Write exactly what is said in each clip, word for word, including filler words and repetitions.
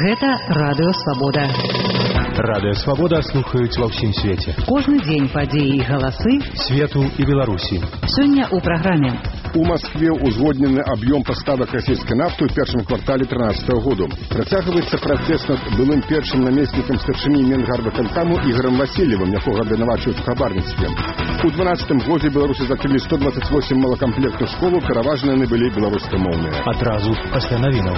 Гэта Радыё Свабода. Радыё Свабода слухаюць ва ўсім свеце. Кожны дзень падзеі і галасы свету і Беларусі. Сёння ў праграме. У Москве узгоднены аб'ём паставак расійскай нафты ў першым квартале трынаццатага году. Працягваецца працэс над былым першым намеснікам старшыні Менгарвыканкаму Ігорам Васильевым, якога абвінавачваюць у хабарніцтве. У дванаццатым годзе беларусы закрылі сто дваццаць восем малакамплектных школаў, пераважна яны былі беларускамоўныя. Адразу пасля навінаў.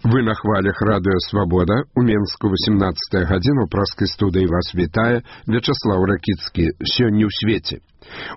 Вы на хвалях Радыё Свабода. У Менску восемнадцатая гадзіна. У праскай студыі вас вітае Вячаслаў Ракіцкі. Сёння ў свеце.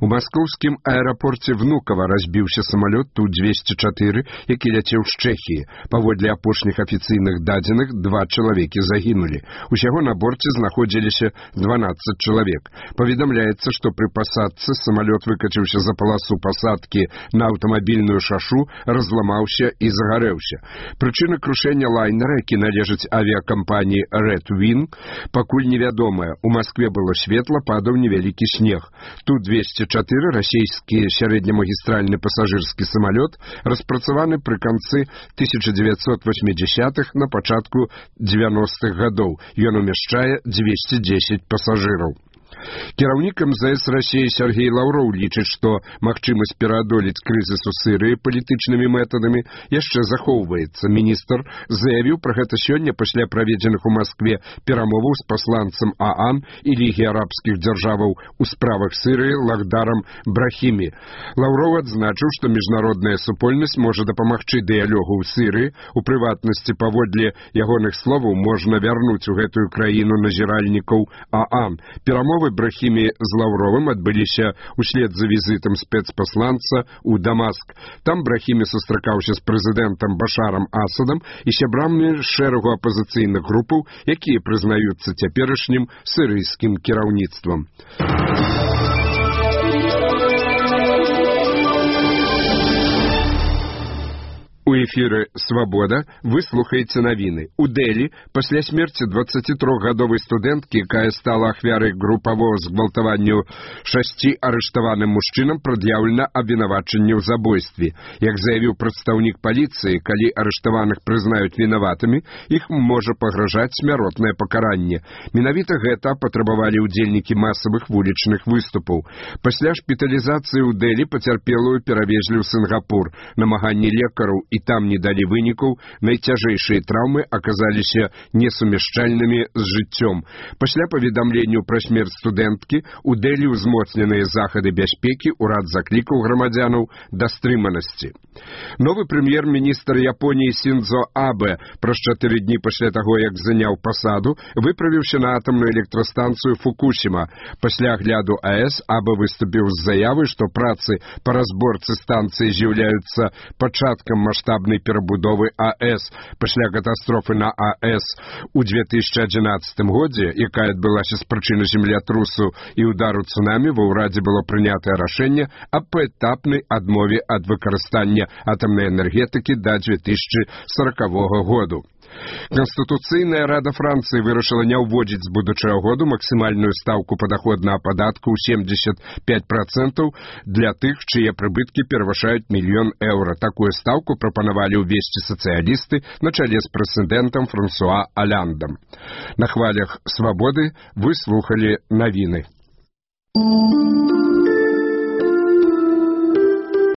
У маскоўскім аэрапорце Внукова разбіўся самалёт Ту двесце чатыры, які ляцеў з Чэхіі. Паводле апошніх афіцыйных дадзеных, два чалавекі загінулі. Усяго на борце знаходзіліся дванаццаць чалавек. Паведамляецца, што пры пасадцы самалёт выкаціўся за паласу пасадкі на аўтамабільную шашу, разламаўся і загарэўся. Прычына крушэння лайнера, які належыць авіякампаніі Red Wing, пакуль невядомая. У Маскве было светла, падаў невялікі снег. Ту двесце чатыры, расійскі сярэднямагістральны пасажырскі самалёт, распрацаваны пры канцы тысяча дзевяцьсот восьмідзясятых, на пачатку дзевяностых гадоў. Ён умяшчае дзвесце дзесяць пасажыраў. Кіраўнік эм зэ эс Расіі Сергей Лаўроў лічыць, што магчымасць пераадолець крызіс у Сірыі палітычнымі метадамі яшчэ захоўваецца. Міністр заявіў пра гэта сёння пасля праведзеных у Маскве перамоваў з пасланцам ААН і Лігі арабскіх дзяржаваў у справах Сірыі Лахдарам Брахімі. Лаўроў адзначыў, што міжнародная супольнасць можа дапамагчы дыялогу ў Сірыі. У прыватнасці, паводле ягоных словаў, можна вярнуць у гэтую краіну назіральнікаў ААН. Перамовы Брахімі з Лаўровым адбыліся ўслед за візітам спецпасланца ў Дамаск. Там Брахімі сустракаўся з прэзідэнтам Башарам Асадам і сябрамі шэрагу апазіцыйных групаў, якія прызнаюцца цяперашнім сірыйскім кіраўніцтвам. У эфіры «Свабода» вы слухаеце навіны. У Дэлі пасля смерці дваццацітрохгадовай студэнткі, якая стала ахвярай групавого згвалтаванню шасці арыштаваным мужчынам, прад'яўлена абвінавачанне ў забойстве. Як заявіў прадстаўнік паліцыі, калі арыштаваных прызнаюць вінаватымі, іх можа пагражаць смяротнае пакаранне. Менавіта гэта патрабавалі ўдзельнікі масавых вулічных выступаў. Пасля шпіталізацыі ў Дэлі пацярпелую перавезлі ў Сінгапур. Намаганні лекараў і там не далі вынікаў, найцяжэйшыя траўмы аказаліся несумяшчальнымі з жыццём. Пасля паведамленню пра смерць студэнткі у Дэлі ўзмоцненыя захады бяспекі, урад заклікаў грамадзянаў да стрыманасці. Новы прэм'ер-міністр Японіі Синдзо Абэ праз чатыры дні пасля таго, як заняў пасаду, выправіўся на атамную электрастанцыю Фукусіма. Пасля агляду АЭС Абэ выступіў з заявай, што працы па разборцы станцыі з'яўляюцца пачаткам маштабнай перабудовы АЭС. Пасля катастрофы на АЭС у две тысячы адзінаццатым годзе, якая адбылася з прычыны землятрусу і удару цунамі, ва ўрадзе было прынятае рашэнне аб паэтапнай адмове ад выкарыстання атамнай энергетыкі да две тысячы саракавога году. Канстытуцыйная рада Францыі вырашыла не ўводзіць з будучага году максімальную стаўку падаходнага падатку ў семьдесят пять процентаў для тых, чые прыбыткі перавышаюць мільён еўра. Такую стаўку прапанавалі ўвесці сацыялісты на чале з прэзідэнтам Франсуа Аляндам. На хвалях «Свабоды» вы слухалі навіны.